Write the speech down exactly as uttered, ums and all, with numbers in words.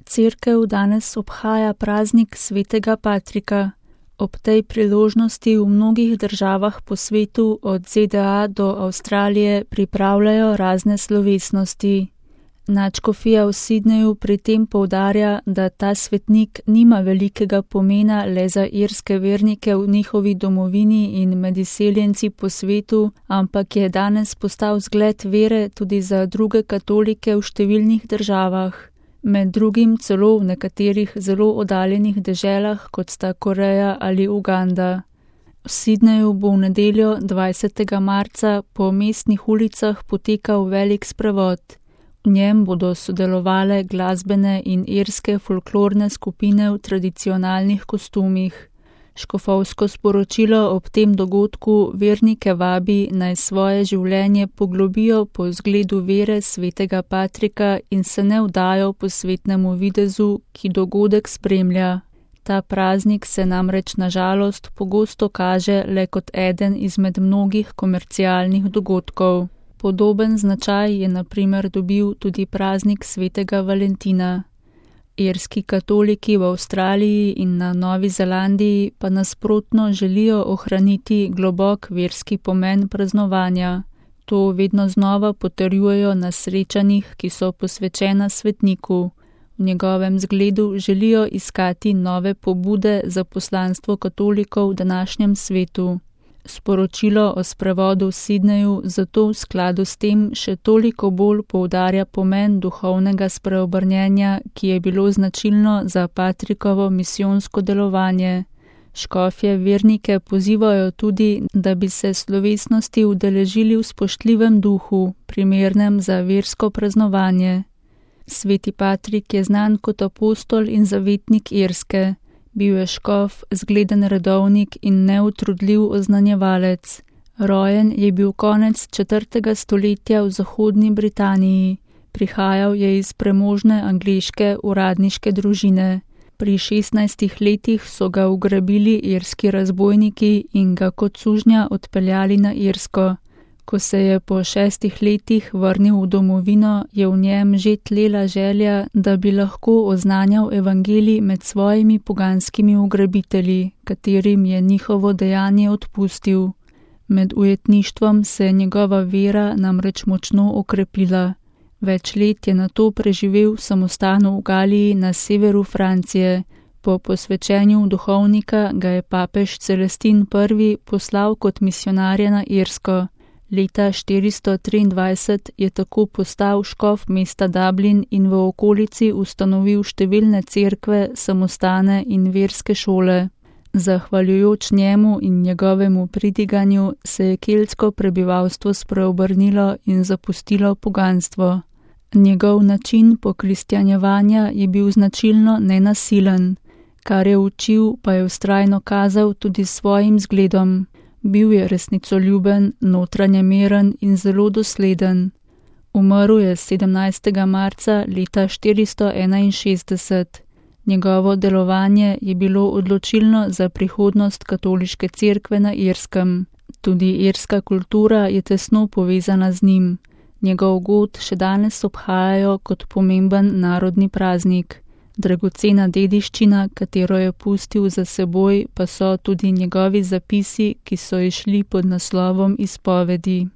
cerkev danes obhaja praznik svetega Patrika. Ob tej priložnosti v mnogih državah po svetu, od Z D A do Avstralije, pripravljajo razne slovesnosti. Nadškofija v Sydneyju pri tem poudarja, da ta svetnik nima velikega pomena le za irske vernike v njihovi domovini in med izseljenci po svetu, ampak je danes postal zgled vere tudi za druge katolike v številnih državah, med drugim celo v nekaterih zelo oddaljenih deželah, kot sta Koreja ali Uganda. V Sydneyju bo v nedeljo dvajsetega marca po mestnih ulicah potekal velik sprevod. V njem bodo sodelovale glasbene in irske folklorne skupine v tradicionalnih kostumih. Škofovsko sporočilo ob tem dogodku vernike vabi, naj svoje življenje poglobijo po zgledu vere svetega Patrika in se ne vdajo po svetnemu videzu, ki dogodek spremlja. Ta praznik se namreč na žalost pogosto kaže le kot eden izmed mnogih komercialnih dogodkov. Podoben značaj je na primer dobil tudi praznik svetega Valentina. Irski katoliki v Avstraliji in na Novi Zelandiji pa nasprotno želijo ohraniti globok verski pomen praznovanja. To vedno znova potrjujejo na srečanjih, ki so posvečena svetniku. V njegovem zgledu želijo iskati nove pobude za poslanstvo katolikov v današnjem svetu. Sporočilo o sprevodu v Sydneyju zato v skladu s tem še toliko bolj poudarja pomen duhovnega spreobrnjenja, ki je bilo značilno za Patrikovo misijonsko delovanje. Škofje vernike pozivajo tudi, da bi se slovesnosti udeležili v spoštljivem duhu, primernem za versko praznovanje. Sveti Patrik je znan kot apostol in zavetnik Irske. Bil je škof, zgleden redovnik in neutrudljiv oznanjevalec. Rojen je bil konec četrtega stoletja v zahodni Britaniji. Prihajal je iz premožne angleške uradniške družine. Pri šestnajstih letih so ga ugrabili irski razbojniki in ga kot sužnja odpeljali na Irsko. Ko se je po šestih letih vrnil v domovino, je v njem že tlela želja, da bi lahko oznanjal evangelij med svojimi poganskimi ugrabitelji, katerim je njihovo dejanje odpustil. Med ujetništvom se je njegova vera namreč močno okrepila. Več let je nato preživel v samostanu v Galiji na severu Francije. Po posvečenju duhovnika ga je papež Celestin prvi poslal kot misionarja na Irsko. Leta štiristo triindvajset je tako postal škof mesta Dublin in v okolici ustanovil številne cerkve, samostane in verske šole. Zahvaljujoč njemu in njegovemu pridiganju se je keltsko prebivalstvo spreobrnilo in zapustilo poganstvo. Njegov način pokristjanjevanja je bil značilno nenasilen. Kar je učil, pa je vztrajno kazal tudi svojim zgledom. Bil je resnicoljuben, notranje miren in zelo dosleden. Umrl je sedemnajstega marca leta štiristo enainšestdeset. Njegovo delovanje je bilo odločilno za prihodnost katoliške cerkve na Irskem. Tudi irska kultura je tesno povezana z njim. Njegov god še danes obhajajo kot pomemben narodni praznik. Dragocena dediščina, katero je pustil za seboj, pa so tudi njegovi zapisi, ki so išli pod naslovom izpovedi.